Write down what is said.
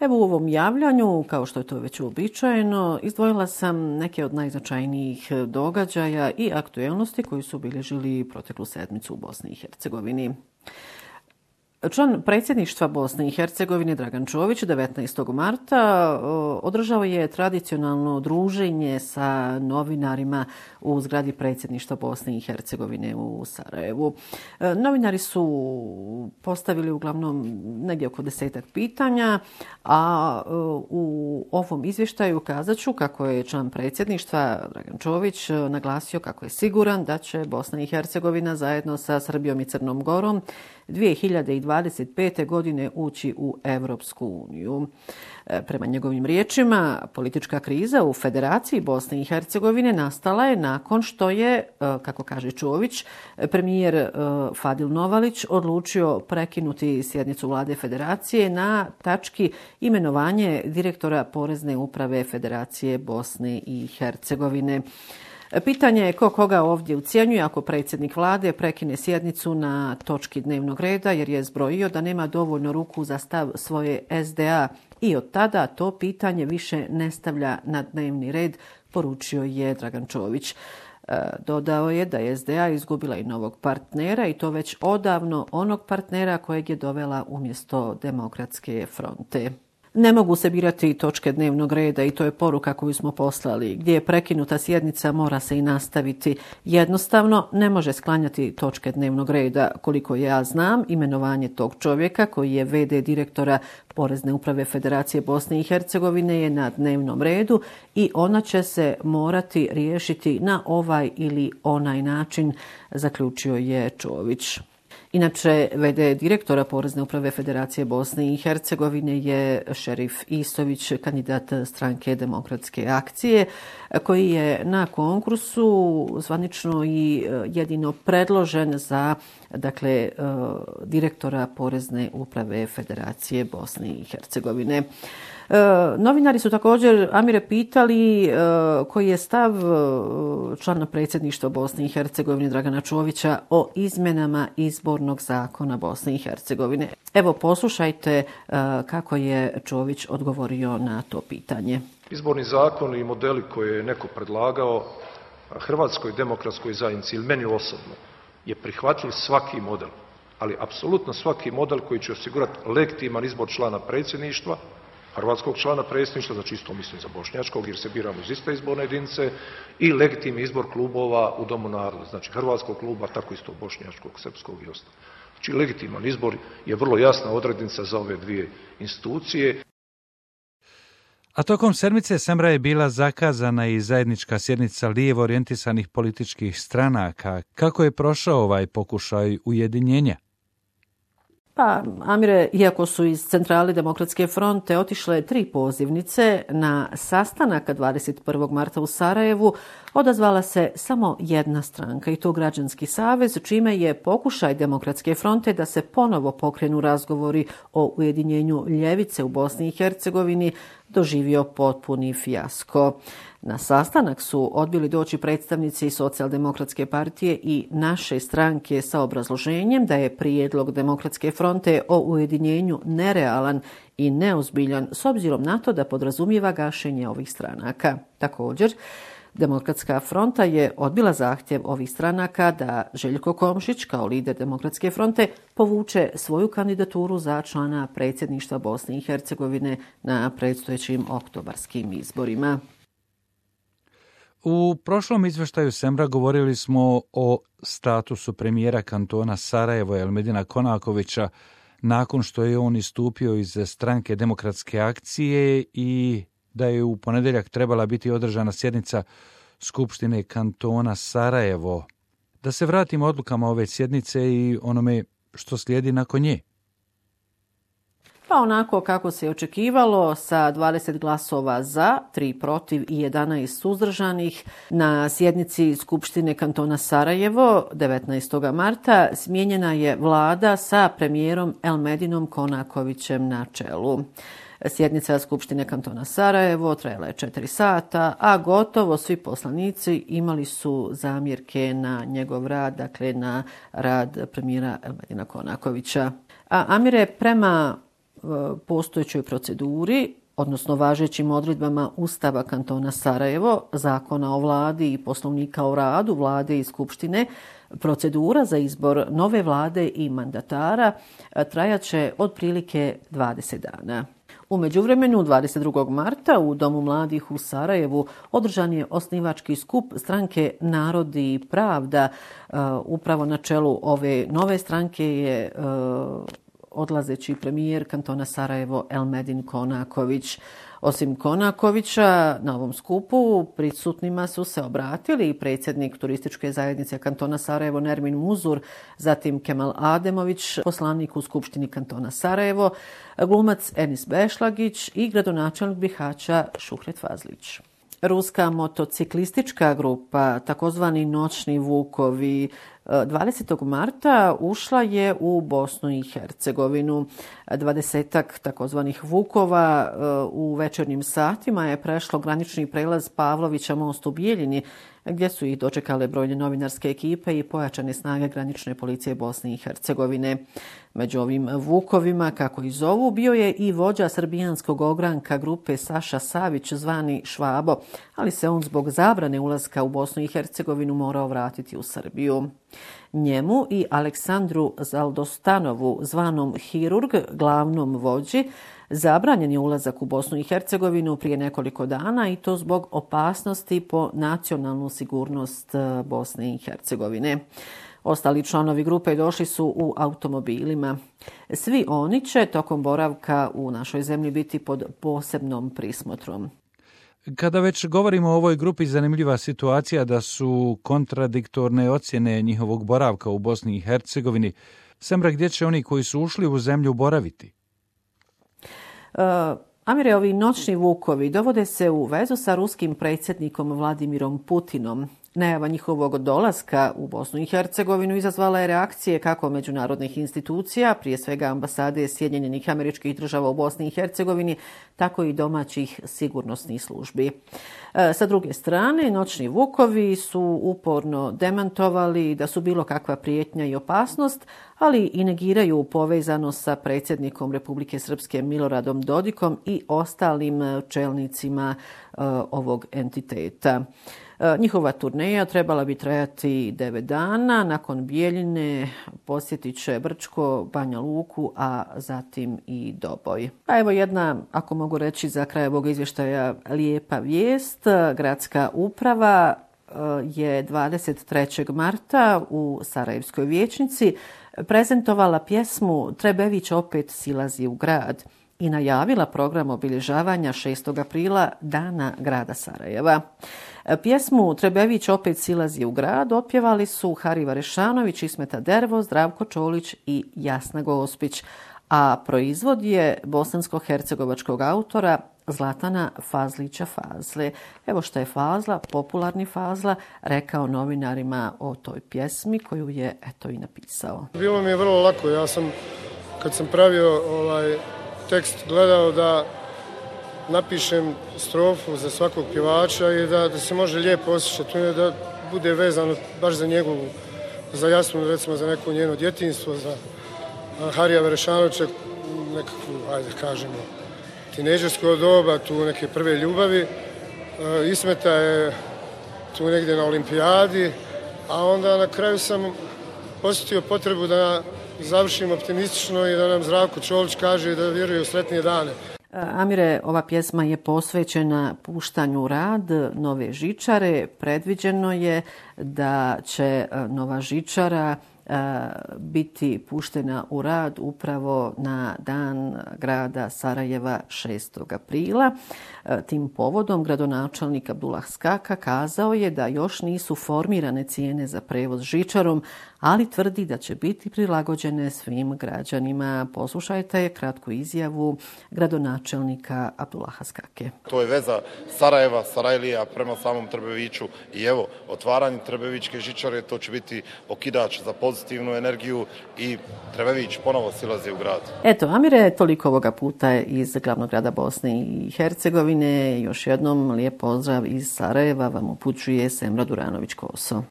Evo u ovom javljanju, kao što je to već uobičajeno, izdvojila sam neke od najznačajnijih događaja i aktuelnosti koji su obilježili proteklu sedmicu u Bosni i Hercegovini. Član predsjedništva Bosne i Hercegovine Dragan Čović 19. marta održao je tradicionalno druženje sa novinarima u zgradi predsjedništva Bosne i Hercegovine u Sarajevu. Novinari su postavili uglavnom negdje oko 10 pitanja, a u ovom izvještaju kazat ću kako je član predsjedništva Dragan Čović naglasio kako je siguran da će Bosna i Hercegovina zajedno sa Srbijom i Crnom Gorom 2025. godine ući u Europsku uniju. Prema njegovim riječima, politička kriza u Federaciji Bosne i Hercegovine nastala je nakon što je, kako kaže Čović, premijer Fadil Novalić odlučio prekinuti sjednicu vlade Federacije na tački imenovanje direktora Porezne uprave Federacije Bosne i Hercegovine. Pitanje je ko koga ovdje ucjenjuje ako predsjednik vlade prekine sjednicu na točki dnevnog reda jer je zbrojio da nema dovoljno ruku za stav svoje SDA i od tada to pitanje više ne stavlja na dnevni red, poručio je Dragan Čović. Dodao je da je SDA izgubila i novog partnera i to već odavno onog partnera kojeg je dovela umjesto Demokratske fronte. Ne mogu se birati točke dnevnog reda i to je poruka koju smo poslali. Gdje je prekinuta sjednica mora se i nastaviti. Jednostavno ne može sklanjati točke dnevnog reda. Koliko ja znam, imenovanje tog čovjeka koji je VD direktora Porezne uprave Federacije Bosne i Hercegovine je na dnevnom redu i ona će se morati riješiti na ovaj ili onaj način, zaključio je Čović. Inače, VD direktora Porezne uprave Federacije Bosne i Hercegovine je Šerif Isović, kandidat stranke Demokratske akcije, koji je na konkursu zvanično i jedino predložen za direktora Porezne uprave Federacije Bosne i Hercegovine. Novinari su također, Amire, pitali koji je stav člana predsjedništva Bosne i Hercegovine Dragana Čovića o izmjenama izbornog zakona Bosne i Hercegovine. Evo, poslušajte kako je Čović odgovorio na to pitanje. Izborni zakon i modeli koje je neko predlagao Hrvatskoj demokratskoj zajednici ili meni osobno je prihvatljiv svaki model, ali apsolutno svaki model koji će osigurati legitiman izbor člana predsjedništva, hrvatskog člana predsjedništva, znači isto mislim za bošnjačkog jer se biramo iz iste izborne jedinice, i legitimni izbor klubova u Domu naroda, znači hrvatskog kluba, tako isto bošnjačkog, srpskog i ostalo. Znači legitiman izbor je vrlo jasna odrednica za ove dvije institucije. A tokom sedmice Semra je bila zakazana i zajednička sjednica lijevo orijentisanih političkih stranaka. Kako je prošao ovaj pokušaj ujedinjenja? Pa, Amire, iako su iz Centrale Demokratske fronte otišle 3 pozivnice na sastanak 21. marta u Sarajevu, odazvala se samo jedna stranka i to Građanski savez, čime je pokušaj Demokratske fronte da se ponovo pokrenu razgovori o ujedinjenju ljevice u Bosni i Hercegovini doživio potpuni fijasko. Na sastanak su odbili doći predstavnici Socijaldemokratske partije i naše stranke sa obrazloženjem da je prijedlog Demokratske fronte o ujedinjenju nerealan i neozbiljan s obzirom na to da podrazumijeva gašenje ovih stranaka. Također, Demokratska fronta je odbila zahtjev ovih stranaka da Željko Komšić kao lider Demokratske fronte povuče svoju kandidaturu za člana predsjedništva Bosne i Hercegovine na predstojećim oktobarskim izborima. U prošlom izvještaju Semra govorili smo o statusu premijera kantona Sarajevo Elmedina Konakovića nakon što je on istupio iz stranke Demokratske akcije i da je u ponedjeljak trebala biti održana sjednica Skupštine kantona Sarajevo. Da se vratimo odlukama ove sjednice i onome što slijedi nakon nje. Pa onako kako se očekivalo, sa 20 glasova za, 3 protiv i 11 suzdržanih, na sjednici Skupštine kantona Sarajevo 19. marta smijenjena je vlada sa premijerom Elmedinom Konakovićem na čelu. Sjednica Skupštine kantona Sarajevo trajala je 4 sata, a gotovo svi poslanici imali su zamjerke na njegov rad, dakle na rad premijera Elmedina Konakovića. A Amire, prema postojećoj proceduri, odnosno važećim odredbama Ustava kantona Sarajevo, Zakona o vladi i Poslovnika o radu vlade i Skupštine, procedura za izbor nove vlade i mandatara trajaće otprilike 20 dana. U međuvremenu, 22. marta u Domu mladih u Sarajevu održan je osnivački skup stranke Narod i pravda. Upravo na čelu ove nove stranke je odlazeći premijer kantona Sarajevo Elmedin Konaković. Osim Konakovića, na ovom skupu prisutnima su se obratili i predsjednik turističke zajednice kantona Sarajevo Nermin Muzur, zatim Kemal Ademović, poslanik u Skupštini kantona Sarajevo, glumac Enis Bešlagić i gradonačelnik Bihaća Šuhret Fazlić. Ruska motociklistička grupa, takozvani Noćni vukovi, 20. marta ušla je u Bosnu i Hercegovinu. 20-ak takozvanih vukova u večernjim satima je prešlo granični prelaz Pavlovića most u Bijeljini, gdje su ih dočekale brojne novinarske ekipe i pojačane snage granične policije Bosne i Hercegovine. Među ovim vukovima, kako i zovu, bio je i vođa srbijanskog ogranka grupe Saša Savić, zvani Švabo, ali se on zbog zabrane ulaska u Bosnu i Hercegovinu morao vratiti u Srbiju. Njemu i Aleksandru Zaldostanovu, zvanom Hirurg, glavnom vođi, zabranjen je ulazak u Bosnu i Hercegovinu prije nekoliko dana i to zbog opasnosti po nacionalnu sigurnost Bosne i Hercegovine. Ostali članovi grupe došli su u automobilima. Svi oni će tokom boravka u našoj zemlji biti pod posebnom prismotrom. Kada već govorimo o ovoj grupi, zanimljiva situacija da su kontradiktorne ocjene njihovog boravka u Bosni i Hercegovini. Semra, gdje će oni koji su ušli u zemlju boraviti? Amire, ovi noćni vukovi dovode se u vezu sa ruskim predsjednikom Vladimirom Putinom. Najava njihovog dolaska u Bosnu i Hercegovinu izazvala je reakcije kako međunarodnih institucija, prije svega ambasade Sjedinjenih Američkih Država u Bosni i Hercegovini, tako i domaćih sigurnosnih službi. Sa druge strane, noćni vukovi su uporno demantovali da su bilo kakva prijetnja i opasnost, ali i negiraju povezanost sa predsjednikom Republike Srpske Miloradom Dodikom i ostalim čelnicima ovog entiteta. Njihova turneja trebala bi trajati 9 dana. Nakon Bijeljine posjetit će Brčko, Banja Luku, a zatim i Doboj. A evo jedna, ako mogu reći za kraj ovog izvještaja, lijepa vijest. Gradska uprava je 23. marta u Sarajevskoj vijećnici prezentovala pjesmu Trebević opet silazi u grad i najavila program obilježavanja 6. aprila Dana grada Sarajeva. Pjesmu Trebević opet silazi u grad otpjevali su Hariva Rešanović, Ismeta Dervo, Zdravko Čolić i Jasna Gospić, a proizvod je bosansko-hercegovačkog autora Zlatana Fazlića Fazle. Evo što je Fazla, popularni Fazla, rekao novinarima o toj pjesmi koju je eto i napisao. Bilo mi je vrlo lako. Ja sam, kad sam pravio tekst, gledao da napišem strofu za svakog pjevača i da se može lijepo osjećati, da bude vezano baš za njegovu, za Jasnu, recimo za neko njeno djetinjstvo, za Harija Verešanovića, nekakvu, ajde kažemo, tinejdžersko doba, tu neke prve ljubavi. Ismeta je tu negdje na olimpijadi, a onda na kraju sam osjetio potrebu da završim optimistično i da nam Zdravko Čolić kaže da vjeruje u sretnije dane. Amire, ova pjesma je posvećena puštanju u rad nove žičare. Predviđeno je da će nova žičara biti puštena u rad upravo na dan grada Sarajeva 6. aprila. Tim povodom gradonačelnik Abdullah Skaka kazao je da još nisu formirane cijene za prevoz žičarom, ali tvrdi da će biti prilagođene svim građanima. Poslušajte kratku izjavu gradonačelnika Abdullaha Skake. To je veza Sarajeva, Sarajlija prema samom Trbeviću i evo, otvaranje Trbevićke žičare, to će biti okidač za pozitivnu energiju i Trebević ponovo silazi u grad. Eto, Amire, toliko ovoga puta iz glavnog grada Bosne i Hercegovine. Još jednom lijep pozdrav iz Sarajeva vam upućuje Semra Duranović-Koso.